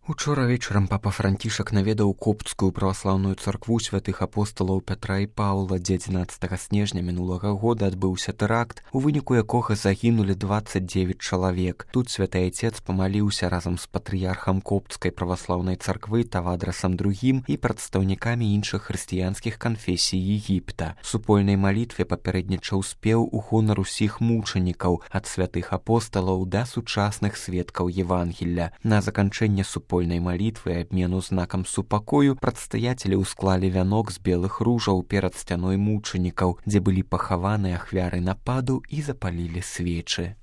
Учора вечарам папа Францішак наведаў копцкую праваслаўную царкву святых апосталаў Пятра і Паўла, дзе 11 снежня мінулага года адбыўся тэракт, у выніку якога загінулі 29 чалавек. Тут святы айцец памаліўся разам з патрыярхам копцкай праваслаўнай царквы Тавадрасам II і прадстаўнікамі іншых хрысціянскіх канфесій Егіпта. Супольнай малітве папярэднічаў спеў у гонар усіх мучанікаў ад святых апосталаў да сучасных сведкаў Евангелля. На заканчэнне супольнай малітвы і абмену знакам супакою прадстаятелі ўсклалі вянок з белых ружаў перад сцяной мучанікаў, дзе былі пахаваны ахвяры нападу і запалілі свечы.